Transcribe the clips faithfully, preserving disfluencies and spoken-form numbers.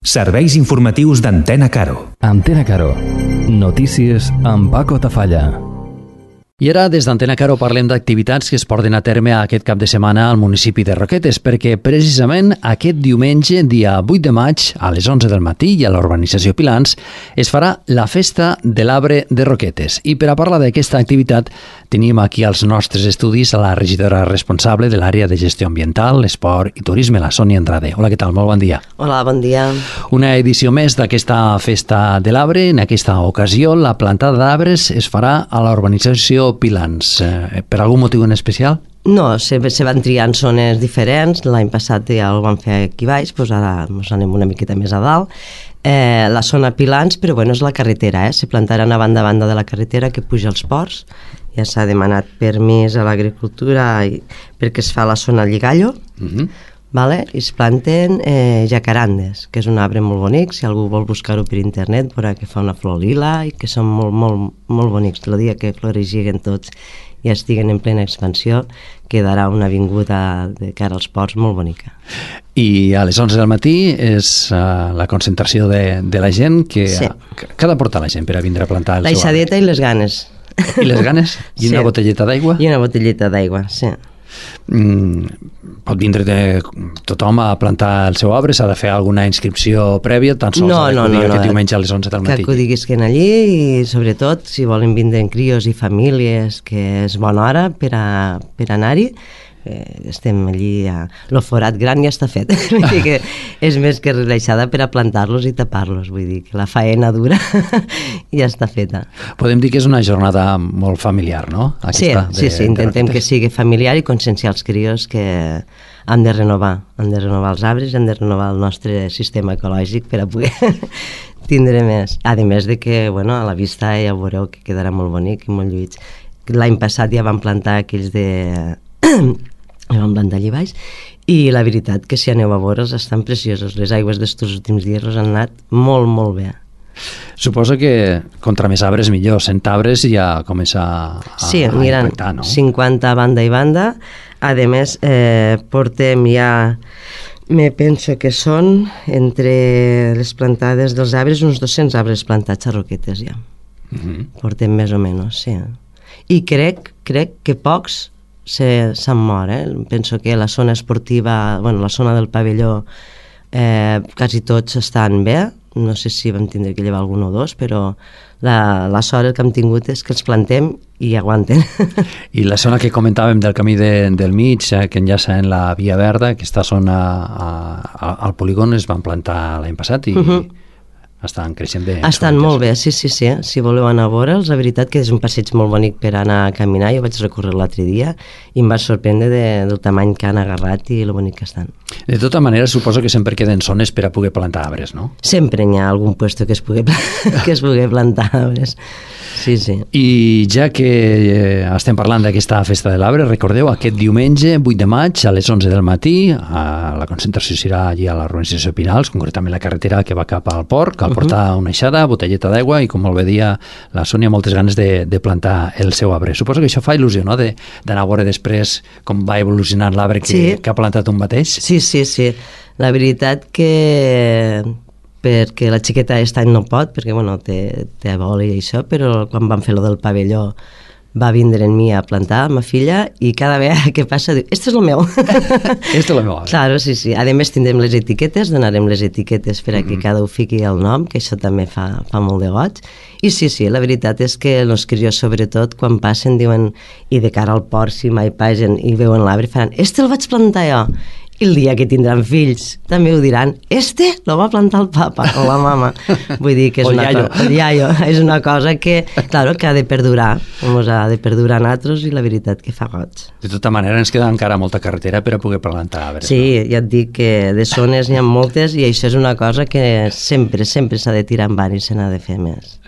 Serveis informatius d'Antena Caro. Antena Caro. Notícies amb Paco Tafalla. I ara, des d'Antena Caro, parlem d'activitats que es porten a terme aquest cap de setmana al municipi de Roquetes, perquè precisament aquest diumenge, dia vuit de maig, a les onze del matí i a la urbanització Pilans, es farà la Festa de l'Arbre de Roquetes. I per a parlar d'aquesta activitat, tenim aquí als nostres estudis a la regidora responsable de l'àrea de gestió ambiental, esport i turisme, la Sònia Andrade. Hola, què tal? Molt bon dia. Hola, bon dia. Una edició més d'aquesta Festa de l'Arbre. En aquesta ocasió, la plantada d'arbres es farà a la urbanització Pilans. Eh, per algun motiu en especial? No, se, se van triant zones diferents. L'any passat ja ho vam fer aquí baix, doncs ara ens anem una miqueta més a dalt. Eh, la zona Pilans, però bueno, és la carretera, eh? Se plantaran a banda a banda de la carretera que puja als ports. Ja s'ha demanat permís a l'agricultura i, perquè es fa la zona Lligallo, uh-huh. Vale? I es planten eh, jacarandes, que és un arbre molt bonic. Si algú vol buscar-ho per internet, veurà que fa una flor lila i que són molt, molt, molt bonics. El dia que floreixiguen tots i estiguen en plena expansió, quedarà una avinguda de cara als ports molt bonica. I a les onze del matí és uh, la concentració de, de la gent que, sí. que ha de portar la gent per a vindre a plantar el la seu arbre. La ixadeta i les ganes. I les ganes? I sí. Una botelleta d'aigua? I una botelleta d'aigua, sí. Mm, pot vindre de tothom a plantar el seu arbre? S'ha de fer alguna inscripció prèvia? Tan sols no, ha no, d'acudir no, aquest no. diumenge a les onze del matí? Que acudisquen allí i sobretot si volen vindre en crios i famílies, que és bona hora per, a, per anar-hi. Eh, estem allí, a... el forat gran ja està fet. Vull dir que és més que relaxada per a plantar-los i tapar-los. Vull dir que la faena dura ja està feta. Podem dir que és una jornada molt familiar, no? Aquesta sí, de, sí, sí, intentem que sigui familiar i conscienciar els crios que han de renovar, han de renovar els arbres, han de renovar el nostre sistema ecològic per a poder tindre més. A més de que, bueno, a la vista ja veureu que quedarà molt bonic i molt lluïts. L'any passat ja van plantar aquells de... ja vam plantar allà baix i la veritat que si aneu a veure'ls estan preciosos. Les aigües d'estos últims dies els han anat molt, molt bé. Suposo que contra més arbres millor. Cent arbres ja comença a, sí, a miren, impactar, no? cinquanta banda i banda. A més, eh, portem ja, me penso que són entre les plantades dels arbres uns dos-cents arbres plantats a Roquetes ja. Uh-huh. Portem més o menys, sí. I crec, crec que pocs s'han mort, eh? Penso que la zona esportiva, bueno, la zona del pavelló, eh, quasi tots estan bé. No sé si vam tindre que llevar algun o dos, però la, la sort que hem tingut és que els plantem i aguanten. I la zona que comentàvem del camí de, del mig, eh, que enllaça en la Via Verda, aquesta zona a, a, al polígon es van plantar l'any passat i... Uh-huh. Estan creixent bé. Estan molt bé, sí, sí, sí. Si voleu anar a veure'ls, la veritat que és un passeig molt bonic per anar a caminar. Jo vaig recórrer l'altre dia i em va sorprendre de, del tamany que han agarrat i lo bonic que estan. De tota manera, suposo que sempre queden zones per a poder plantar arbres, no? Sempre hi ha algun puesto que es pugui, que es pugui plantar arbres. Sí, sí. I ja que eh, estem parlant d'aquesta Festa de l'Arbre, recordeu, aquest diumenge, vuit de maig, a les onze del matí, a la concentració serà allí a la urbanització Pinals, concretament la carretera que va cap al port, cal portar uh-huh. una eixada, botelleta d'aigua i, com molt bé dia la Sònia, moltes ganes de, de plantar el seu arbre. Suposo que això fa il·lusió, no?, d'anar a veure després com va evolucionant l'arbre que, sí. que ha plantat un mateix. Sí, sí, sí. La veritat que... perquè la xiqueta aquest any no pot, perquè bueno, té, té vol i això, però quan van fer lo del pavelló va vindre en mi a plantar, ma filla, i cada vegada que passa diu, este és el meu. Este és el meu. Claro, sí, sí. A més tindrem les etiquetes, donarem les etiquetes per a que mm-hmm. cada un fiqui el nom, que això també fa, fa molt de goig. I sí, sí, la veritat és que els crios, sobretot, quan passen, diuen, i de cara al port, si mai passen i veuen l'arbre, faran, este el vaig plantar jo. I el dia que tindran fills també ho diran, este lo va plantar el papa o la mama. Vull dir que és una cosa, el iaio, és una cosa que, claro, que ha de perdurar, ens ha de perdurar a nosaltres i la veritat que fa goig. De tota manera ens queda encara molta carretera per a poder plantar arbres. Sí, no? Ja et dic que de zones n'hi ha moltes i això és una cosa que sempre, sempre s'ha de tirar en bar i se n'ha de fer més.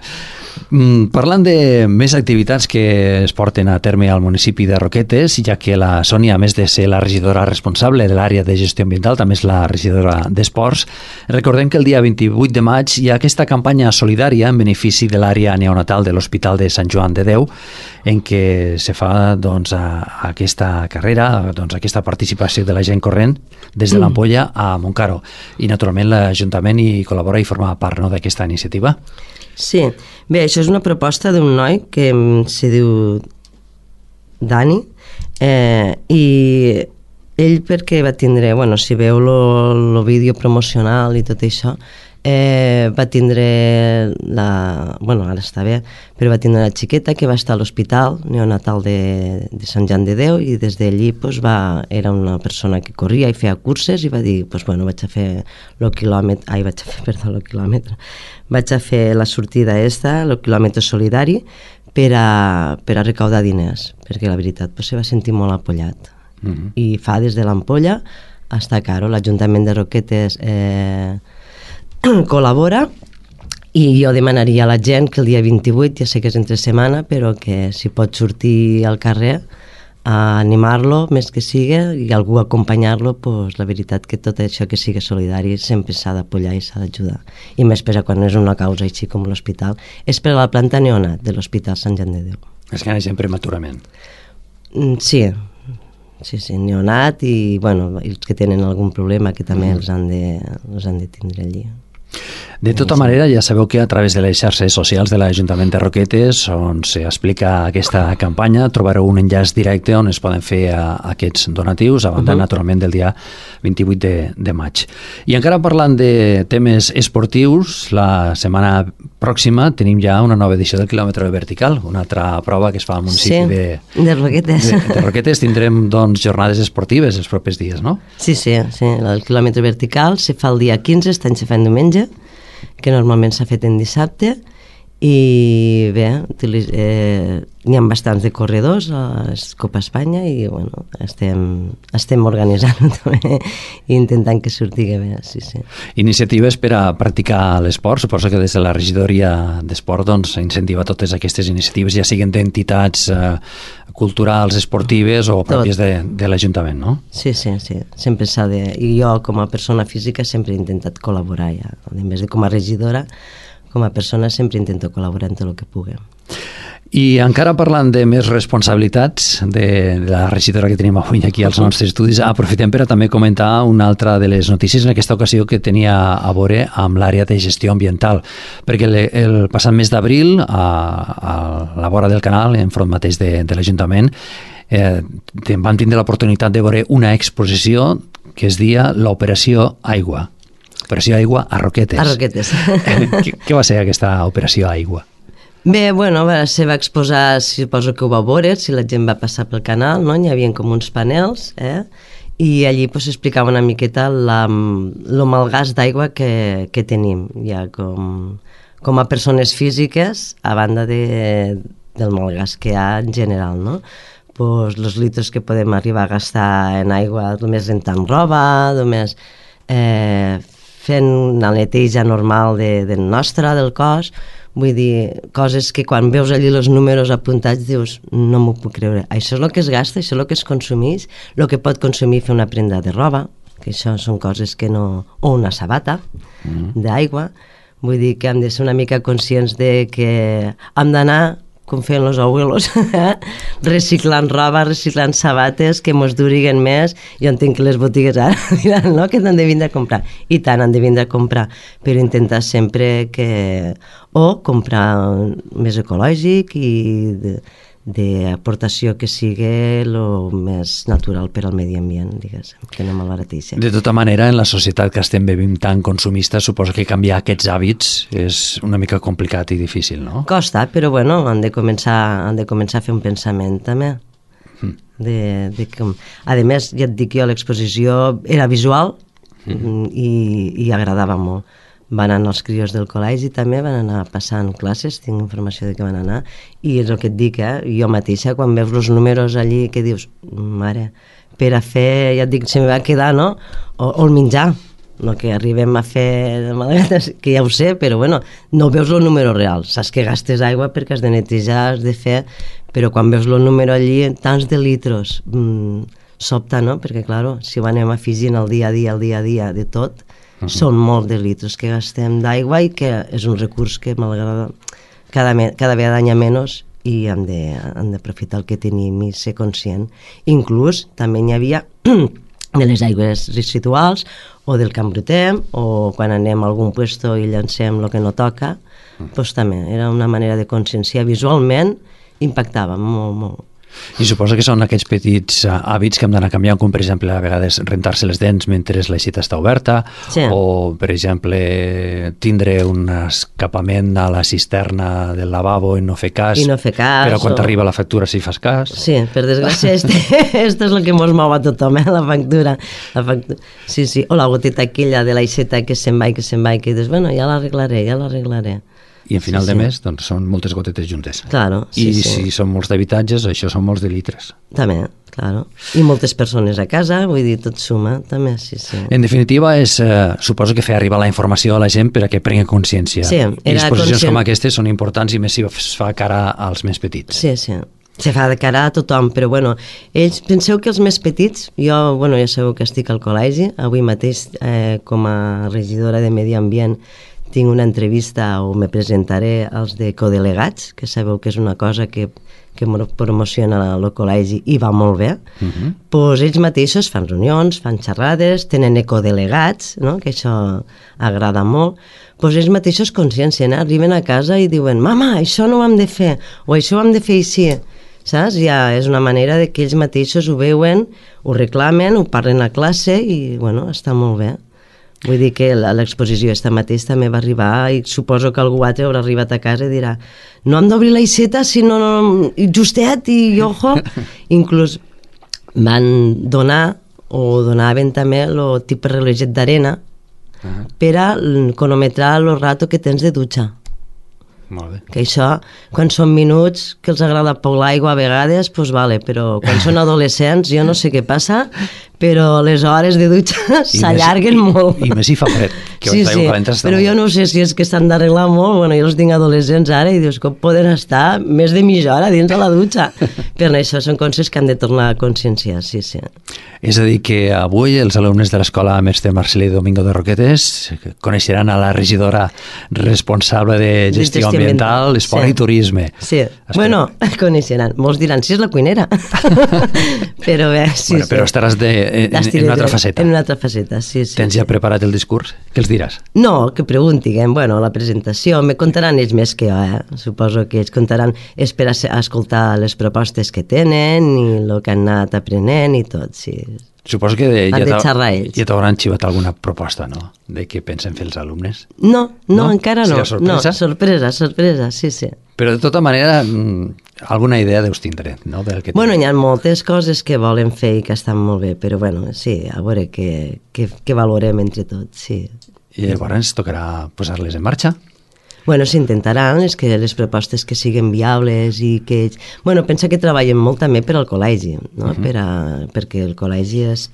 Mm, parlant de més activitats que es porten a terme al municipi de Roquetes, ja que la Sònia, a més de ser la regidora responsable de l'àrea de gestió ambiental, també és la regidora d'Esports, recordem que el dia vint-i-vuit de maig hi ha aquesta campanya solidària en benefici de l'àrea neonatal de l'Hospital de Sant Joan de Déu, en què se fa doncs, a, a aquesta carrera, doncs, aquesta participació de la gent corrent des de l'Ampolla a Montcaro. I, naturalment, l'Ajuntament hi col·labora i forma part, no?, d'aquesta iniciativa. Sí, bé, això és una proposta d'un noi que se diu Dani, eh, i ell perquè va tindre, bueno, si veu el vídeo promocional i tot això, eh, va tindre la, bueno, ara està bé, però va tindre la xiqueta que va estar a l'hospital neonatal de, de Sant Joan de Déu, i des d'allí pues, va, era una persona que corria i feia curses i va dir, pues, bueno, vaig a fer el quilòmetre, ai, vaig a fer, perdó, el quilòmetre, vaig a fer la sortida esta, el quilòmetre solidari, per a, per a recaudar diners, perquè la veritat pues, se va sentir molt apollat. Mm-hmm. I fa des de l'Ampolla hasta Caro, l'Ajuntament de Roquetes eh, col·labora, i jo demanaria a la gent que el dia vint-i-vuit, ja sé que és entre setmana, però que si pot sortir al carrer a animar-lo, més que sigui, i algú acompanyar-lo, pues, la veritat que tot això que sigui solidari sempre s'ha d'apoyar i s'ha d'ajudar. I més per a quan és una causa així com l'hospital. És per a la planta neonat de l'Hospital Sant Joan de Déu. És que neixen prematurament. Sí, sí, sí, neonat i, bueno, els que tenen algun problema que també mm. els, han de, els han de tindre allí. De tota manera, ja sabeu que a través de les xarxes socials de l'Ajuntament de Roquetes, on s'explica aquesta campanya, trobareu un enllaç directe on es poden fer a, a aquests donatius, a banda, uh-huh. naturalment, del dia vint-i-vuit de, de maig. I encara parlant de temes esportius, la setmana pròxima tenim ja una nova edició del quilòmetre vertical, una altra prova que es fa al municipi sí, de, de Roquetes. De, de Roquetes. Tindrem, doncs, jornades esportives els propers dies, no? Sí, sí, sí. El quilòmetre vertical se fa el dia quinze, està en se fa en diumenge, que normalment s'ha fet en dissabte, i bé, eh, n'hi ha bastants de corredors a Copa Espanya i bueno, estem, estem organitzant també i intentant que surti bé, sí, sí. Iniciatives per a practicar l'esport, suposo que des de la regidoria d'esport doncs, incentiva totes aquestes iniciatives, ja siguin d'entitats eh, culturals, esportives o pròpies de, de l'Ajuntament, no? Sí, sí, sí, sempre s'ha de... I jo com a persona física sempre he intentat col·laborar ja, a més de com a regidora, com a persona sempre intento col·laborar en tot el que pugui. I encara parlant de més responsabilitats de la regidora que tenim avui aquí als nostres estudis, aprofitem per a també comentar una altra de les notícies en aquesta ocasió que tenia a veure amb l'àrea de gestió ambiental, perquè el, el passat mes d'abril a, a la vora del canal, enfront mateix de, de l'Ajuntament, eh, vam tindre l'oportunitat de veure una exposició que es deia l'Operació Aigua. Operació Aigua a Roquetes. A Roquetes. què, què va ser aquesta Operació Aigua? Bé, bueno, se va exposar, suposo que ho va veure, si la gent va passar pel canal, no? Hi havia com uns panels, eh? I allí pues, explicava una miqueta la, el malgast d'aigua que, que tenim, ja com, com a persones físiques, a banda de, del malgast que hi ha en general, no? Pues, els litres que podem arribar a gastar en aigua, només rentant roba, només eh, fent una neteja normal de, del nostre, del cos, vull dir, coses que quan veus allí els números apuntats dius, no m'ho puc creure. Això és el que es gasta, això és el que es consumeix, el que pot consumir fer una prenda de roba, que això són coses que no... o una sabata mm. d'aigua. Vull dir que hem de ser una mica conscients de que hem d'anar, com feien els abuelos, reciclant roba, reciclant sabates que mos duriguen més. Jo entenc que les botigues ara diran, no?, que n'han de vindre a comprar. I tant, han de vindre a comprar, però intentar sempre que... o comprar més ecològic i d'aportació que sigui el més natural per al medi ambient, diguéssim, que no malbarateixi. De tota manera, en la societat que estem vivint tan consumista, suposo que canviar aquests hàbits és una mica complicat i difícil, no? Costa, però bueno, han de començar, han de començar a fer un pensament també. Mm. De, de com... A més, ja et dic jo, l'exposició era visual mm. i, i agradava molt. Van anar els crios del col·legi també, van anar passant classes, tinc informació de que van anar, i és el que et dic, eh? Jo mateixa, quan veus els números allí, que dius, mare, per a fer, ja et dic, se me va quedar, no? O, o el menjar, no que arribem a fer que ja ho sé, però bueno, no veus el número real, saps que gastes aigua perquè has de netejar, has de fer, però quan veus el número allí, tants de litros, mmm, sobta, no? Perquè, clar, si ho anem afegint el dia a dia, el dia a dia de tot, uh -huh. són molts de litros que gastem d'aigua i que és un recurs que m'agrada cada, cada vegada hi ha menys i hem d'aprofitar el que tenim i ser conscient. Inclús també n'hi havia de les aigües residuals o del Can Brutem, o quan anem a algun puesto i llancem el que no toca, mm. doncs també era una manera de conscienciar visualment, impactava molt, molt. I suposo que són aquells petits uh, hàbits que hem d'anar canviant, com per exemple a vegades rentar-se les dents mentre l'aixeta està oberta, sí. o per exemple tindre un escapament a la cisterna del lavabo i no fer cas, I no fer cas però quan o... t'arriba la factura sí fas cas. Sí, per desgràcia este, este és el que mos mou a tothom, eh? la factura. La factura. Sí, sí, o la goteta aquella de l'aixeta que se'n va i que se'n va i que dius, bueno, ja l'arreglaré, ja l'arreglaré. I en final sí, de sí. mes doncs, són moltes gotetes juntes. Claro, sí, I sí. si són molts d'habitatges, això són molts de litres. També, claro. I moltes persones a casa, vull dir, tot suma, també, sí, sí. En definitiva, és, eh, suposo que fer arribar la informació a la gent per a que prengui consciència. Sí, era I exposicions conscient... com aquestes són importants i més si es fa cara als més petits. Sí, sí. Se fa de cara a tothom, però bueno, ells, penseu que els més petits, jo, bueno, ja sabeu que estic al col·legi, avui mateix eh, com a regidora de Medi Ambient tinc una entrevista o me presentaré als de codelegats, que sabeu que és una cosa que, que promociona el col·legi i va molt bé. Uh-huh. Pues ells mateixos fan reunions, fan xerrades, tenen ecodelegats, no? Que això agrada molt. Pues ells mateixos consciencien, eh? Arriben a casa i diuen mama, això no ho hem de fer, o això ho hem de fer així. Saps? Ja és una manera de que ells mateixos ho veuen, ho reclamen, ho parlen a classe i, bueno, està molt bé. Vull dir que l'exposició esta mateix també va arribar i suposo que algú altre haurà arribat a casa i dirà no hem d'obrir l'aixeta sinó no, justet i ojo. Inclús van donar o donaven també el tipus reloget d'arena uh-huh. per a cronometrar el rato que tens de dutxa. Molt bé. Que això, quan són minuts que els agrada poc l'aigua a vegades, doncs vale, però quan són adolescents jo no sé què passa, però les hores de dutxa s'allarguen molt. I més si fa fred, que sí, sí, però jo no sé si és que s'han d'arreglar molt, bueno, jo els tinc adolescents ara i dius, com poden estar més de mitja hora dins de la dutxa? Però això són coses que han de tornar a conscienciar, sí, sí. És a dir, que avui els alumnes de l'escola Mestre Marcelí Domingo de Roquetes coneixeran a la regidora responsable de gestió ambiental, esport sí. i turisme. Sí, Espera. bueno, coneixeran. Molts diran, si és la cuinera. Però bé, sí, bueno, però sí. estaràs de, en, en una altra faceta. En una altra faceta, sí, sí. Tens sí. ja preparat el discurs? Què els diràs? No, que preguntin, bueno, la presentació, me contaran ells més que jo, eh? Suposo que ells contaran, és per a escoltar les propostes que tenen i el que han anat aprenent i tot, sí. Suposo que de, han ja, de xerrar ells. Ja t'hauran xivat alguna proposta, no?, de què pensen fer els alumnes. No, no, no? encara no. Serà sorpresa? No, sorpresa, sorpresa, sí, sí. Però de tota manera, alguna idea deus tindre, no? Del que bueno, hi ha moltes coses que volen fer i que estan molt bé, però bueno, sí, a veure què, què, què valorem entre tots, sí. I llavors tocarà posar-les en marxa? Bueno, s'intentaran les, que, les propostes que siguin viables i que... Bueno, pensa que treballen molt també per al col·legi, no? Uh-huh. per a, perquè el col·legi és,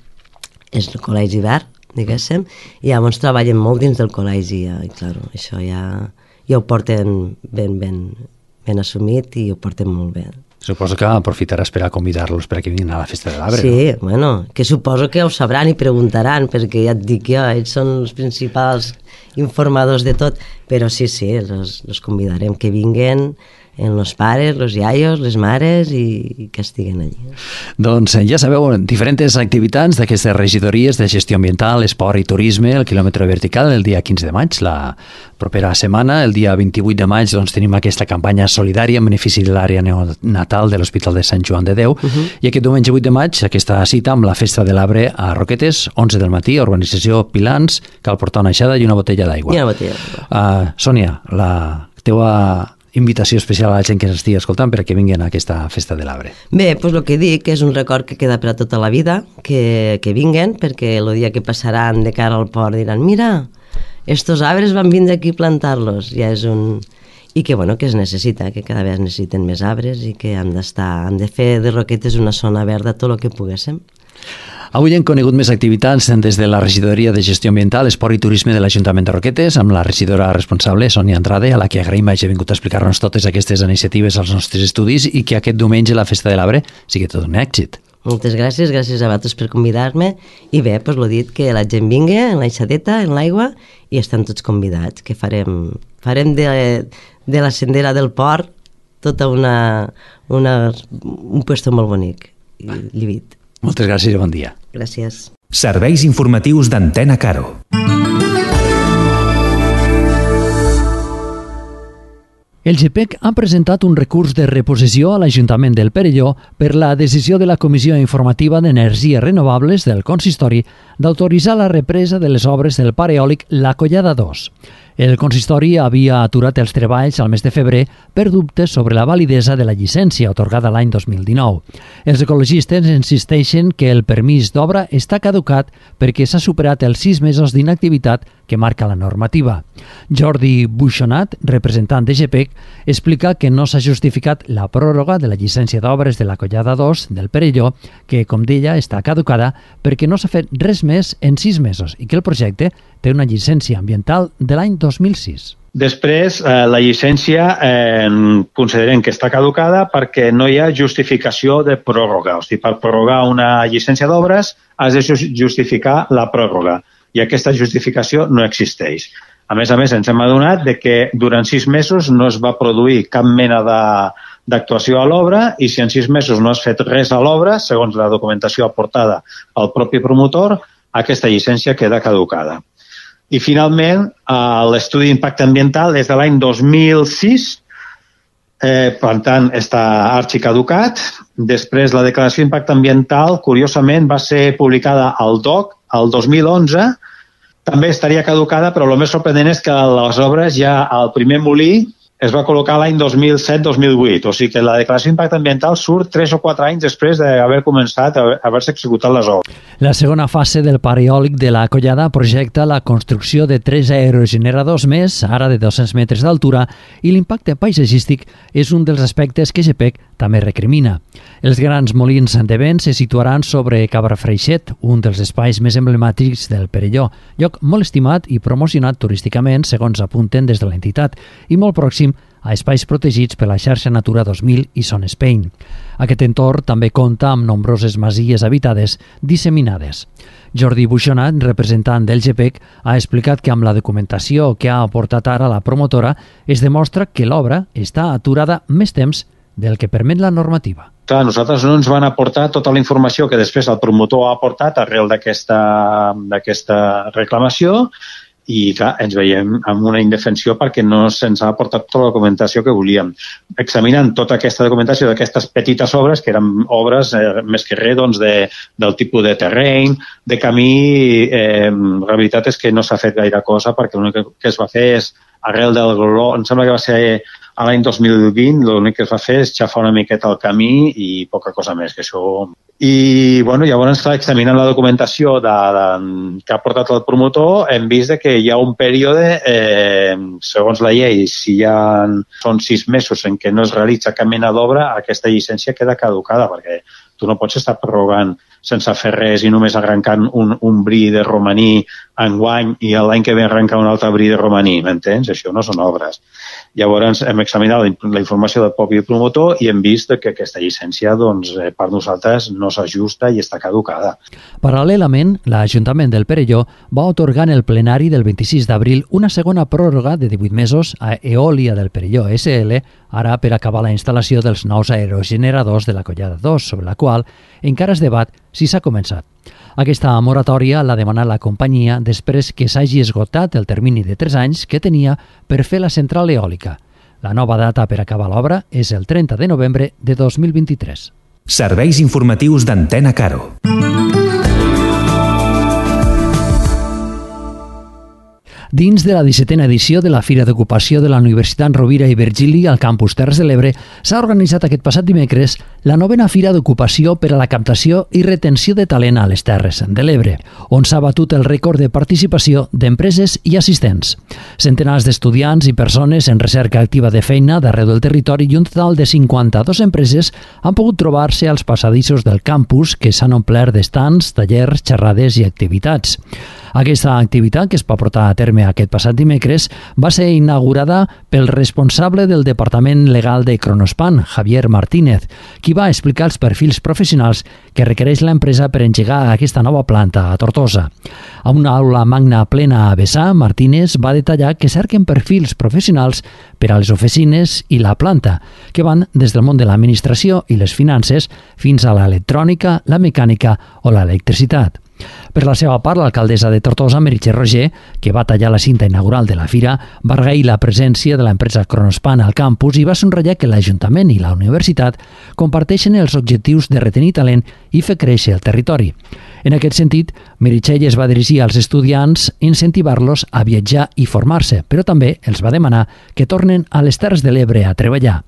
és el col·legi verd, diguéssim, i llavors treballen molt dins del col·legi, ja, i clar, això ja, ja ho porten ben, ben, ben assumit i ho porten molt bé. Suposo que aprofitaràs per a convidar-los per a que vinguin a la Festa de l'Arbre. Sí, no? Bueno, que suposo que ho sabran i preguntaran, perquè ja et dic jo, ells són els principals informadors de tot, però sí, sí, els, els convidarem que vinguen en los pares, los iaios, les mares i, i que estiguen allí. Doncs ja sabeu, diferents activitats d'aquestes regidories de gestió ambiental, esport i turisme, el quilòmetre vertical el dia quinze de maig, la propera setmana, el dia vint-i-vuit de maig doncs tenim aquesta campanya solidària en benefici de l'àrea neonatal de l'Hospital de Sant Joan de Déu, uh-huh. i aquest diumenge vuit de maig aquesta cita amb la Festa de l'Arbre a Roquetes, onze del matí, urbanització Pilans, cal portar una aixada i una botella d'aigua. I una botella d'aigua. Uh, Sònia, la teua invitació especial a la gent que ens estigui escoltant per a que vinguin a aquesta Festa de l'Arbre. Bé, doncs el que dic és un record que queda per a tota la vida, que, que vinguen, perquè el dia que passaran de cara al port diran mira, estos arbres van vindre aquí a plantar-los, ja és un... I que, bueno, que es necessita, que cada vegada es necessiten més arbres i que han d'estar, han de fer de Roquetes una zona verda tot el que poguéssim. Avui hem conegut més activitats des de la Regidoria de Gestió Ambiental, Esport i Turisme de l'Ajuntament de Roquetes, amb la regidora responsable, Sònia Andrade, a la que agraïm hagi vingut a explicar-nos totes aquestes iniciatives als nostres estudis i que aquest diumenge la Festa de l'Arbre sigui tot un èxit. Moltes gràcies, gràcies a vosaltres per convidar-me i bé, doncs l'ho dit, que la gent vingui en l'aixadeta, en l'aigua i estan tots convidats, que farem, farem de, de la sendera del port tota una, una, un puesto molt bonic i llibit. Moltes gràcies i bon dia. Gràcies. Serveis informatius d'Antena Caro. El G P E C ha presentat un recurs de reposició a l'Ajuntament del Perelló per la decisió de la Comissió Informativa d'Energies Renovables del Consistori d'autoritzar la represa de les obres del parc eòlic La Collada dos. El consistori havia aturat els treballs al mes de febrer per dubtes sobre la validesa de la llicència atorgada l'any dos mil dinou. Els ecologistes insisteixen que el permís d'obra està caducat perquè s'ha superat els sis mesos d'inactivitat que marca la normativa. Jordi Buixonat, representant de G P E C, explica que no s'ha justificat la pròrroga de la llicència d'obres de la Collada dos del Perelló, que, com deia, està caducada perquè no s'ha fet res més en sis mesos i que el projecte té una llicència ambiental de l'any dos mil sis. Després, eh, la llicència eh, considerem que està caducada perquè no hi ha justificació de pròrroga. O sigui, per prorrogar una llicència d'obres has de justificar la pròrroga i aquesta justificació no existeix. A més a més, ens hem adonat de que durant sis mesos no es va produir cap mena d'actuació a l'obra i si en sis mesos no has fet res a l'obra, segons la documentació aportada pel propi promotor, aquesta llicència queda caducada. I finalment, l'estudi d'impacte ambiental és de l'any dos mil sis, eh, per tant està arxicaducat. Després la declaració d'impacte ambiental, curiosament, va ser publicada al D O C el dos mil onze, també estaria caducada, però el més sorprenent és que les obres ja al primer molí es va col·locar l'any dos mil set dos mil vuit, o sigui que la declaració d'impacte ambiental surt tres o quatre anys després d'haver començat a haver-se executat les obres. La segona fase del parc eòlic de la Collada projecta la construcció de tres aerogeneradors més, ara de dos-cents metres d'altura, i l'impacte paisatgístic és un dels aspectes que G P E C també recrimina. Els grans molins de vent se situaran sobre Cabrafreixet, un dels espais més emblemàtics del Perelló, lloc molt estimat i promocionat turísticament, segons apunten des de l'entitat, i molt pròxim a espais protegits per la xarxa Natura dos mil i Son Spain. Aquest entorn també compta amb nombroses masies habitades disseminades. Jordi Buixonat, representant del G P E C, ha explicat que amb la documentació que ha aportat ara la promotora es demostra que l'obra està aturada més temps del que permet la normativa. Clar, nosaltres no ens van aportar tota la informació que després el promotor ha aportat arrel d'aquesta reclamació i clar, ens veiem amb una indefensió perquè no se'ns ha aportat tota la documentació que volíem. Examinant tota aquesta documentació d'aquestes petites obres, que eren obres eh, més que res doncs, de, del tipus de terreny, de camí, eh, la veritat és que no s'ha fet gaire cosa perquè l'únic que es va fer és arrel del global, em sembla que va ser a l'any dos mil vint, l'únic que es va fer és xafar una miqueta el camí i poca cosa més que això. I bueno, llavors, clar, examinant la documentació de, de, que ha portat el promotor, hem vist que hi ha un període, eh, segons la llei, si hi ha, són sis mesos en què no es realitza cap mena d'obra, aquesta llicència queda caducada, perquè tu no pots estar prorrogant sense fer res i només arrencant un, un bri de romaní enguany i l'any que ve arrencar un altre bri de romaní, m'entens? Això no són obres. Llavors hem examinat la informació del propi promotor i hem vist que aquesta llicència doncs, per nosaltres no s'ajusta i està caducada. Paral·lelament, l'Ajuntament del Perelló va atorgar en el plenari del vint-i-sis d'abril una segona pròrroga de divuit mesos a Eòlia del Perelló S L, ara per acabar la instal·lació dels nous aerogeneradors de la Collada dos, sobre la qual encara es debat si s'ha començat. Aquesta moratòria l'ha demanat la companyia després que s'hagi esgotat el termini de tres anys que tenia per fer la central eòlica. La nova data per acabar l'obra és el trenta de novembre de dos mil vint-i-tres. Serveis informatius d'Antena Caro. Dins de la dissetena edició de la Fira d'Ocupació de la Universitat Rovira i Virgili al campus Terres de l'Ebre s'ha organitzat aquest passat dimecres la novena Fira d'Ocupació per a la captació i retenció de talent a les Terres de l'Ebre, on s'ha batut el rècord de participació d'empreses i assistents. Centenars d'estudiants i persones en recerca activa de feina d'arreu del territori i un total de cinquanta-dues empreses han pogut trobar-se als passadissos del campus que s'han omplert d'estants, tallers, xerrades i activitats. Aquesta activitat, que es va portar a terme aquest passat dimecres, va ser inaugurada pel responsable del Departament Legal de Kronospan, Javier Martínez, qui va explicar els perfils professionals que requereix l'empresa per engegar aquesta nova planta a Tortosa. A una aula magna plena a vessar, Martínez va detallar que cerquen perfils professionals per a les oficines i la planta, que van des del món de l'administració i les finances fins a l'electrònica, la mecànica o l'electricitat. Per la seva part, l'alcaldessa de Tortosa, Meritxell Roger, que va tallar la cinta inaugural de la fira, va agrair la presència de l'empresa Kronospan al campus i va somriure que l'Ajuntament i la universitat comparteixen els objectius de retenir talent i fer créixer el territori. En aquest sentit, Meritxell es va dirigir als estudiants incentivar-los a viatjar i formar-se, però també els va demanar que tornen a les Terres de l'Ebre a treballar.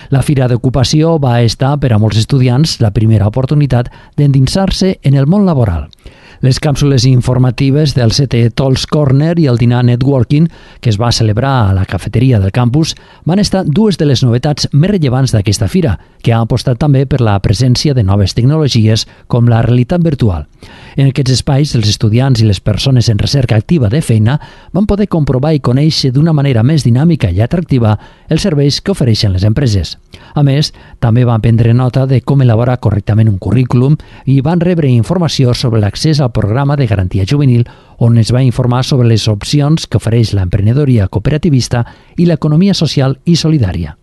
La Fira d'Ocupació va estar per a molts estudiants la primera oportunitat d'endinsar-se en el món laboral. Les càpsules informatives del setè Tolls Corner i el dinar Networking, que es va celebrar a la cafeteria del campus, van estar dues de les novetats més rellevants d'aquesta fira, que ha apostat també per la presència de noves tecnologies com la realitat virtual. En aquests espais, els estudiants i les persones en recerca activa de feina van poder comprovar i conèixer d'una manera més dinàmica i atractiva els serveis que ofereixen les empreses. A més, també van prendre nota de com elaborar correctament un currículum i van rebre informació sobre l'accés al programa de garantia juvenil, on es va informar sobre les opcions que ofereix l'emprenedoria cooperativista i l'economia social i solidària.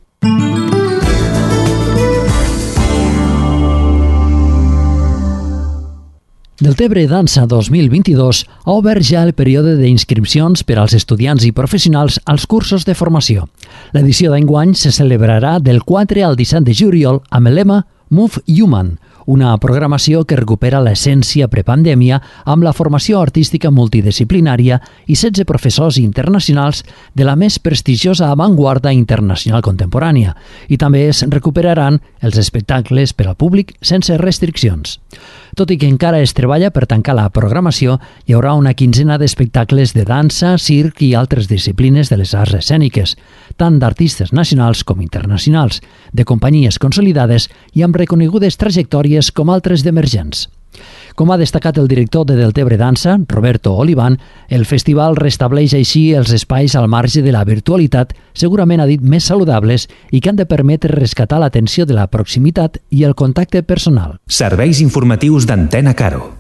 Deltebre Dansa dos mil vint-i-dos ha obert ja el període d'inscripcions per als estudiants i professionals als cursos de formació. L'edició d'enguany se celebrarà del quatre al disset de juliol amb el lema Move Human, una programació que recupera l'essència prepandèmia amb la formació artística multidisciplinària i setze professors internacionals de la més prestigiosa avantguarda internacional contemporània, i també es recuperaran els espectacles per al públic sense restriccions. Tot i que encara es treballa per tancar la programació, hi haurà una quinzena d'espectacles de dansa, circ i altres disciplines de les arts escèniques, tant d'artistes nacionals com internacionals, de companyies consolidades i amb reconegudes trajectòries com altres d'emergents. Com ha destacat el director de Deltebre Dansa, Roberto Olivan, el festival restableix així els espais al marge de la virtualitat, segurament ha dit més saludables i que han de permetre rescatar l'atenció de la proximitat i el contacte personal. Serveis informatius d'Antena Caro.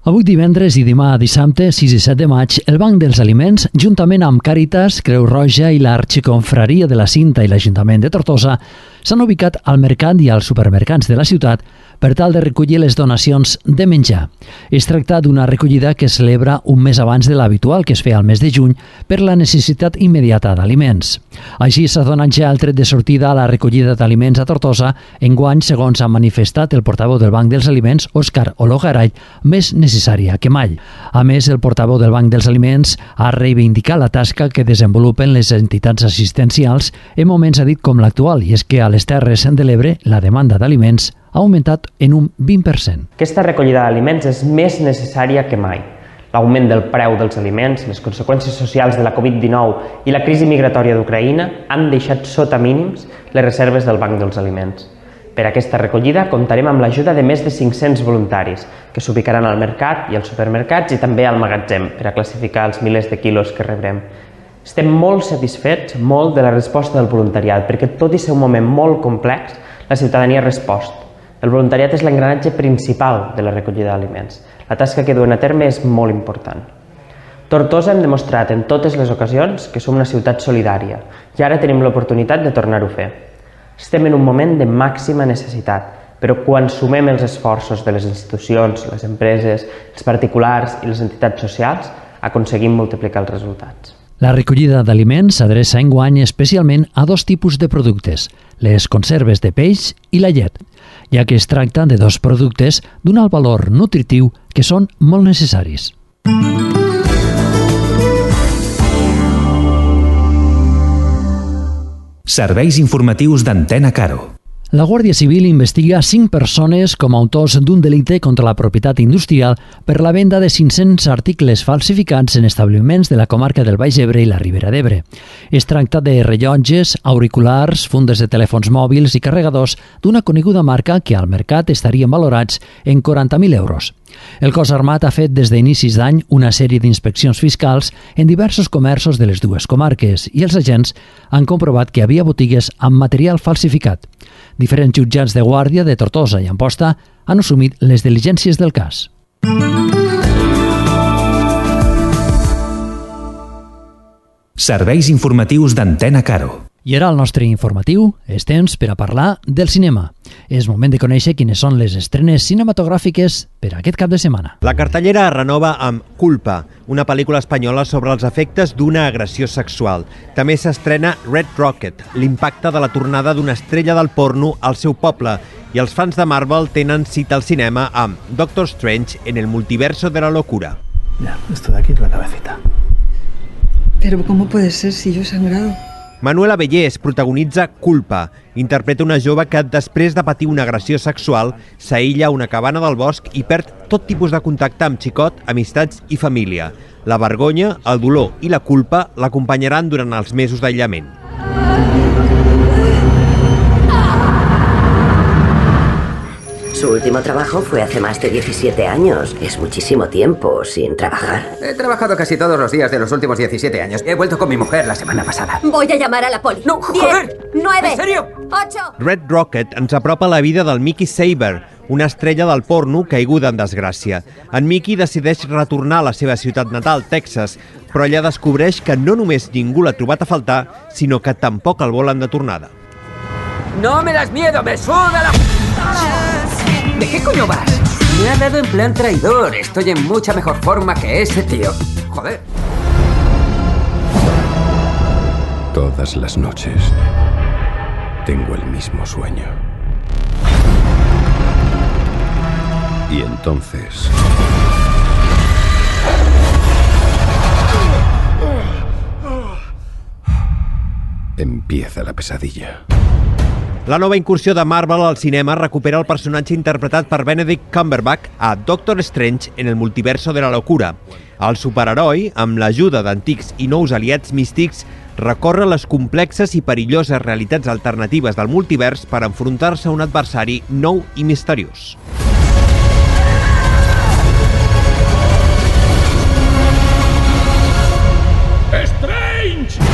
Avui divendres i demà dissabte, sis i set de maig, el Banc dels Aliments, juntament amb Càritas, Creu Roja i l'Arxiconfraria de la Cinta i l'Ajuntament de Tortosa, s'han ubicat al mercat i als supermercats de la ciutat per tal de recollir les donacions de menjar. Es tracta d'una recollida que es celebra un mes abans de l'habitual, que es feia al mes de juny, per la necessitat immediata d'aliments. Així s'ha donat ja el tret de sortida a la recollida d'aliments a Tortosa, enguany, segons ha manifestat el portaveu del Banc dels Aliments, Òscar Ologaray, més necessària que mai. A més, el portaveu del Banc dels Aliments ha reivindicat la tasca que desenvolupen les entitats assistencials en moments, ha dit, com l'actual, i és que a les Terres de l'Ebre la demanda d'aliments ha augmentat en un vint per cent. Aquesta recollida d'aliments és més necessària que mai. L'augment del preu dels aliments, les conseqüències socials de la covid dinou i la crisi migratòria d'Ucraïna han deixat sota mínims les reserves del Banc dels Aliments. Per aquesta recollida comptarem amb l'ajuda de més de cinc-cents voluntaris que s'ubicaran al mercat i als supermercats i també al magatzem per a classificar els milers de quilos que rebrem. Estem molt satisfets, molt, de la resposta del voluntariat, perquè tot i ser un moment molt complex, la ciutadania ha respost. El voluntariat és l'engranatge principal de la recollida d'aliments. La tasca que duen a terme és molt important. Tortosa hem demostrat en totes les ocasions que som una ciutat solidària i ara tenim l'oportunitat de tornar-ho a fer. Estem en un moment de màxima necessitat, però quan sumem els esforços de les institucions, les empreses, els particulars i les entitats socials, aconseguim multiplicar els resultats. La recollida d'aliments s'adreça enguany especialment a dos tipus de productes, les conserves de peix i la llet, ja que es tracta de dos productes d'un alt valor nutritiu que són molt necessaris. Serveis informatius d'Antena Caro. La Guàrdia Civil investiga cinc persones com a autors d'un delicte contra la propietat industrial per la venda de cinc-cents articles falsificats en establiments de la comarca del Baix Ebre i la Ribera d'Ebre. Es tracta de rellotges, auriculars, fundes de telèfons mòbils i carregadors d'una coneguda marca que al mercat estarien valorats en quaranta mil euros. El cos armat ha fet des d'inicis d'any una sèrie d'inspeccions fiscals en diversos comerços de les dues comarques i els agents han comprovat que hi havia botigues amb material falsificat. Diferents jutjats de guàrdia de Tortosa i Amposta han assumit les diligències del cas. Serveis informatius d'Antena Caro. I ara al nostre informatiu és temps per a parlar del cinema. És moment de conèixer quines són les estrenes cinematogràfiques per a aquest cap de setmana. La cartellera es renova amb Culpa, una pel·lícula espanyola sobre els efectes d'una agressió sexual. També s'estrena Red Rocket, l'impacte de la tornada d'una estrella del porno al seu poble. I els fans de Marvel tenen cita al cinema amb Doctor Strange en el multiverso de la locura. Ya, esto de aquí es la cabecita. Pero ¿cómo puede ser si yo he sangrado? Manuela Bellés protagonitza Culpa. Interpreta una jove que, després de patir una agressió sexual, s'aïlla a una cabana del bosc i perd tot tipus de contacte amb xicot, amistats i família. La vergonya, el dolor i la culpa l'acompanyaran durant els mesos d'aïllament. Su último trabajo fue hace más de diecisiete años. Es muchísimo tiempo sin trabajar. He trabajado casi todos los días de los últimos diecisiete años. He vuelto con mi mujer la semana pasada. Voy a llamar a la poli. ¡No, joder! nueve, ¿En serio? ocho... Red Rocket ens apropa la vida del Mickey Saber, una estrella del porno caiguda en desgràcia. En Mickey decideix retornar a la seva ciutat natal, Texas, però allà descobreix que no només ningú l'ha trobat a faltar, sinó que tampoc el volen de tornada. ¡No me das miedo! ¡Me suda la... ¿De qué coño vas? Me ha dado en plan traidor. Estoy en mucha mejor forma que ese tío. Joder. Todas las noches tengo el mismo sueño. Y entonces... empieza la pesadilla. La nova incursió de Marvel al cinema recupera el personatge interpretat per Benedict Cumberbatch a Doctor Strange en el multiverso de la locura. El superheroi, amb l'ajuda d'antics i nous aliats místics, recorre les complexes i perilloses realitats alternatives del multivers per enfrontar-se a un adversari nou i misteriós. Strange!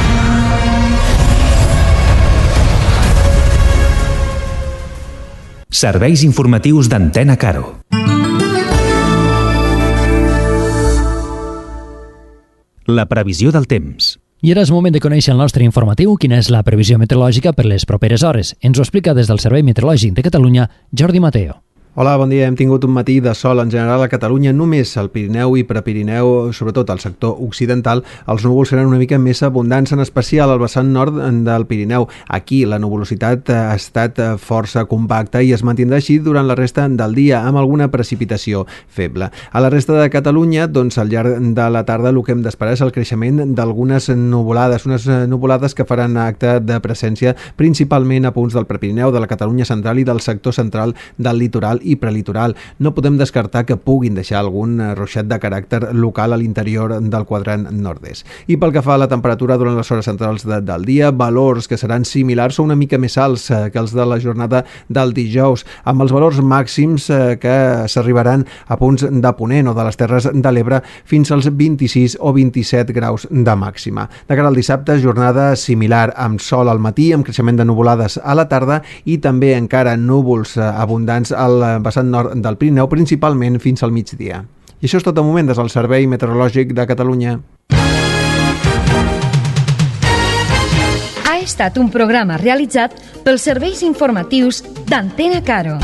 Serveis informatius d'Antena Caro. La previsió del temps. I ara és moment de conèixer el nostre informatiu, quina és la previsió meteorològica per les properes hores. Ens ho explica des del Servei Meteorològic de Catalunya, Jordi Mateo. Hola, bon dia. Hem tingut un matí de sol en general a Catalunya, només al Pirineu i Prepirineu, sobretot al sector occidental. Els núvols seran una mica més abundants, en especial al vessant nord del Pirineu. Aquí la nuvolositat ha estat força compacta i es mantindrà així durant la resta del dia, amb alguna precipitació feble. A la resta de Catalunya, doncs, al llarg de la tarda, el que hem d'esperar és el creixement d'algunes nuvolades, unes nuvolades que faran acte de presència principalment a punts del Prepirineu, de la Catalunya central i del sector central del litoral i prelitoral. No podem descartar que puguin deixar algun ruixat de caràcter local a l'interior del quadrant nord-est. I pel que fa a la temperatura durant les hores centrals de, del dia, valors que seran similars o una mica més alts eh, que els de la jornada del dijous, amb els valors màxims eh, que s'arribaran a punts de Ponent o de les Terres de l'Ebre fins als vint-i-sis o vint-i-set graus de màxima. De cara al dissabte, jornada similar, amb sol al matí, amb creixement de nuvolades a la tarda i també encara núvols eh, abundants al vessant nord del Pirineu, principalment fins al migdia. I això és tot de moment des del Servei Meteorològic de Catalunya. Ha estat un programa realitzat pels serveis informatius d'Antena Caro.